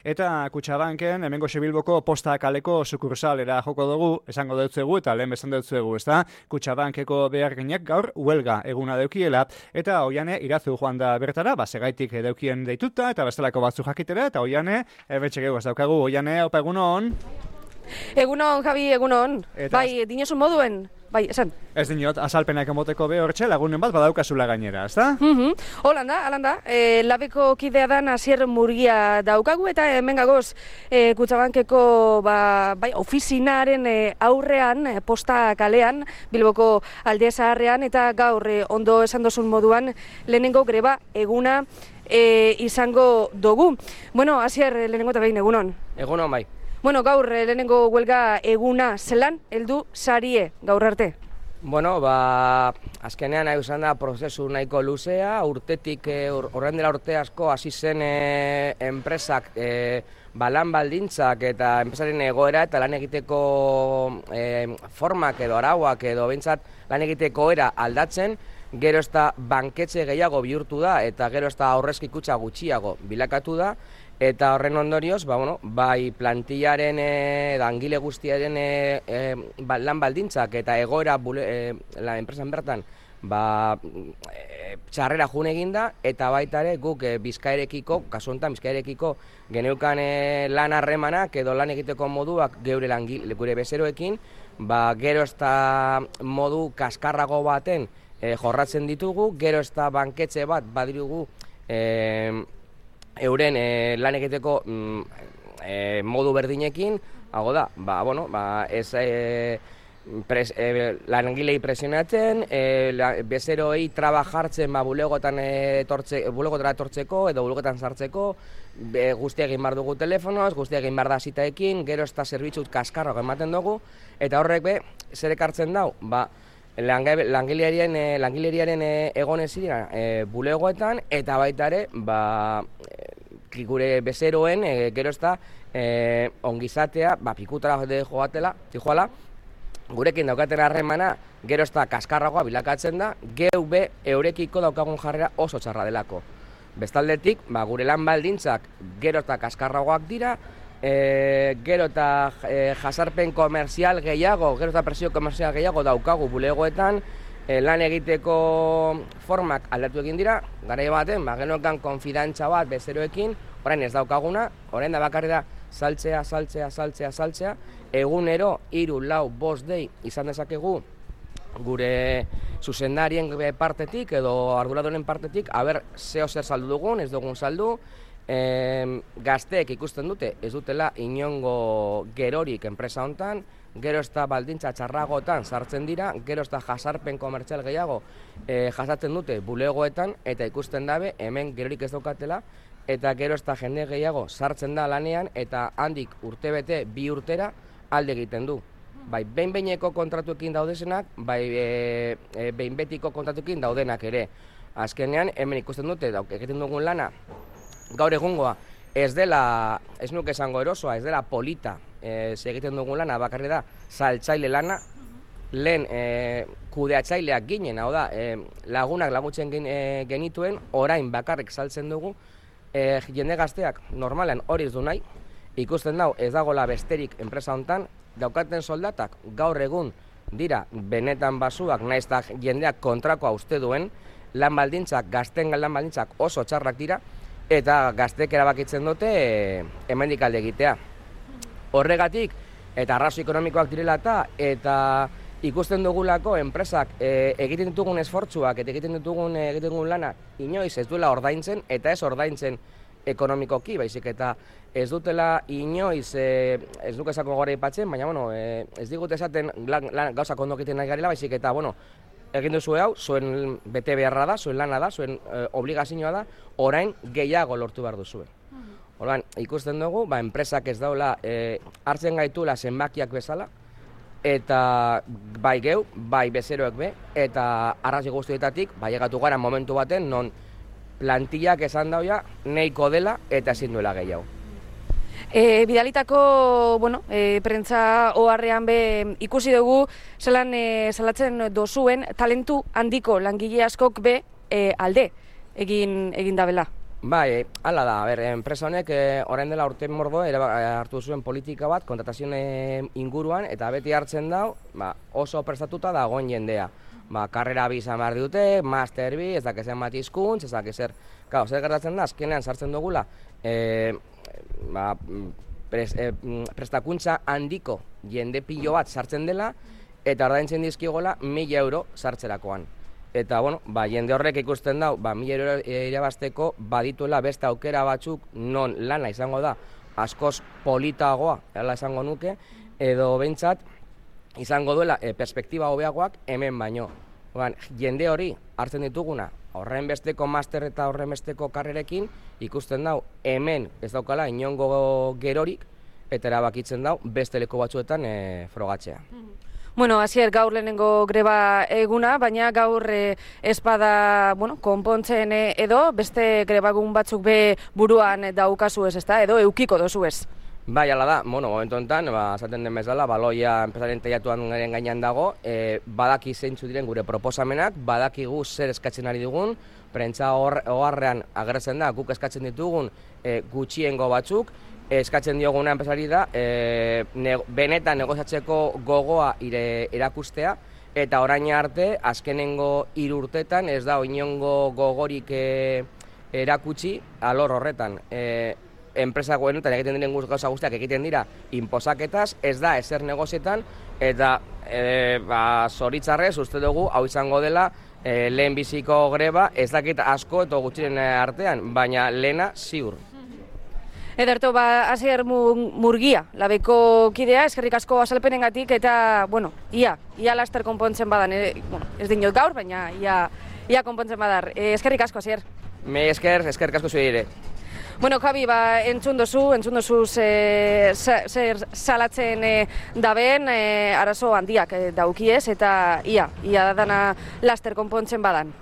Eta Kutxabanken, hemengo Bilboko Posta kaleko sukursalera joko dugu, esango deutzuegu eta lehen bezan deutzuegu, ezta? Kutxabankeko beharginek gaur huelga eguna deukiela, eta Oiane Irazu joan da bertara, segaitik deukien deituta, eta bestelako batzu jakitera, eta Oiane, betxegeu ez daukagu, Oiane, opa egunon? Egunon, Javi, egunon. Bai, dinosun moduen? Bai, esan. Ez dinot, azalpenak emoteko behortxe, lagunen bat badaukazula gainera, ezta? Holanda, labeko kidea dan Asier Murgia daukagu, eta hemen gagoz Kutxabankeko ofizinaren aurrean, Posta kalean, Bilboko alde zaharrean, eta gaur ondo esan dozun moduan lehenengo greba eguna izango dugu. Bueno, Asier, lehenengo eta behin egunon. Egunon, bai. Bueno, gaur lehenengo huelga eguna zelan, heldu sarie gaur arte? Bueno, azkenean nahi izan da prozesu nahiko luzea, urtetik, horren dela urte asko hasi zen enpresak lan baldintzak eta enpresaren egoera eta lan egiteko formak edo arauak edo behintzat lan egiteko era aldatzen, gero ez da banketxe gehiago bihurtu da eta gero ez da aurrezki kutxa gutxiago bilakatu da, eta horren ondorioz, bai plantillaren, langile guztiaren lan baldintzak eta egoera enpresan bertan txarrera jun eginda, eta baita ere guk Bizkaiarekiko, kasu honetan Bizkaiarekiko geneukan lan harremanak edo lan egiteko moduak gure bezeroekin, gero ez da modu kaskarrago baten jorratzen ditugu, gero ez da banketxe bat badirugu euren lan egiteko modu berdinekin, hago da, langilei presionatzen, bezeroei traba jartzen bulegotara etortzeko edo bulegotan sartzeko, guztia egin behar dugu telefonoz, guztia egin behar da zitaekin, gero ez da zerbitzut kaskarrago ematen dugu, eta horrek zer ekartzen dau, langileriaren egonez dira bulegoetan, eta baita ere, gure bezeroen, gero ez da, ongizatea, pikutara joatela, gurekin daukaten harremana, gero ez da kaskarragoa bilakatzen da, geu eurekiko daukagun jarrera oso txarra delako. Bestaldetik, gure lan baldintzak gero eta kaskarragoak dira, gero eta jasarpen komerzial gehiago, gero eta presio komerzial gehiago daukagu bulegoetan, lan egiteko formak aldatu egin dira, garai baten, geneukan konfidantza bat bezeroekin, orain ez daukaguna, orain da bakarri da saltzea, egunero 3, 4, 5 dei izan dezakegu gure zuzendarien partetik edo arduradoren partetik, zer saldu dugun, ez dugun saldu, gazteek ikusten dute, ez dutela inongo gerorik enpresa hontan, gero ez da baldintza txarragoetan sartzen dira, gero ez da jasarpen komertzial gehiago jasatzen dute bulegoetan, eta ikusten dabe hemen gerorik ez daukatela, eta gero ez da jende gehiago sartzen da lanean, eta handik urtebete 2 urtera alde egiten du. Bai, behin-behineko kontratuekin daudezenak, bai, behin-betiko kontratuekin daudenak ere. Azkenean, hemen ikusten dute, egiten dugun lana, gaur egungoa, ez nuke esango erosoa, ez dela polita, egiten dugun lana, bakarri da, saltzaile lana, lehen kudeatzaileak ginen, hau da, lagunak laguntzen genituen, orain bakarrik saltzen dugu, jende gazteak normalean hori ez du nahi, ikusten dau ez dagoela besterik enpresa hontan, daukaten soldatak gaur egun dira benetan basuak, naiz eta jendeak kontrakoa uste duen, lan baldintzak, gazten lan baldintzak oso txarrak dira, eta gazteek erabakitzen dute hemendik alde egitea. Horregatik, eta arrazoi ekonomikoak direla eta ikusten dugulako enpresak egiten ditugun esfortzuak eta egiten ditugun lana inoiz ez duela ordaintzen, eta ez ordaintzen ekonomikoki, baizik eta ez dutela inoiz, ez duke esako gore ipatzen, baina ez digute esaten gauzak ondo egiten nahi garela, baizik eta egin duzu hau, zuen bete beharra da, zuen lana da, zuen obligazioa da, orain gehiago lortu behar duzuen. Orduan, ikusten dugu, enpresak ez daula hartzen gaitula zenbakiak bezala, eta bai geu, bai bezeroek be, eta arrazoi guztietatik, egatu gara momentu baten, non plantillak esan dauia, nahiko dela eta ezin duela gehiago. Bidalitako, prentza oharrean be ikusi dugu salatzen dozuen talentu handiko langile askok be alde egin dabela. Bai, hala da, enpresa honek orain dela urte mordo hartu zuen politika bat kontratazioen inguruan eta beti hartzen dau oso prestatuta dagoen jendea. Karrera bi izan behar dute, master bi, ez dakezen bat hizkuntz, ez dakezer. Claro, zer gertatzen da, azkenean sartzen dugula prestakuntza handiko jende pilo bat sartzen dela eta ordaintzen dizkigola 1.000 euro sartzerakoan. Eta, jende horrek ikusten dau, 1.000 euro irabazteko badituela beste aukera batzuk non lana izango da askoz politagoa, hala esango nuke, edo behintzat izango duela perspektiba hobeagoak hemen baino. Jende hori hartzen dituguna, horren besteko master eta horren besteko karrerekin, ikusten dau hemen ez daukala inongo gerorik, eta erabakitzen dau beste leku batzuetan frogatzea. Bueno, Asier, gaur lehenengo greba eguna, baina gaur espada konpontzen edo beste grebagun batzuk be buruan daukazu ez, ezta? Edo eukiko dozu ez? Bai, ala da, momentu honetan, esaten den bezala, baloia enpresaren teilatuan gainean dago, badaki zeintzu diren gure proposamenak, badakigu zer eskatzen ari dugun, prentsa oharrean agertzen da, guk eskatzen ditugun gutxiengo batzuk, eskatzen dioguna enpresari da, benetan negoziatzeko gogoa erakustea, eta orain arte, azkenengo 3 urtetan ez da inongo gogorik erakutsi alor horretan. Enpresa goenetan egiten diren gauza guztiak egiten dira inposaketaz, ez da ezer negozietan, eta zoritzarrez uste dugu hau izango dela lehen biziko greba, ez dakit asko eta gutxiren artean, baina lehena ziur. Ederto, Asier Murgia, Labeko kidea, eskerrik asko azalpenengatik eta, ia laster konpontzen badan, ez dinot gaur, baina ia konpontzen badar. Eskerrik asko, Asier. Eskerrik asko zuei ere. Javi, entzun dozu zer salatzen daben, arazo handiak daukiez eta ia dana laster konpontzen badan.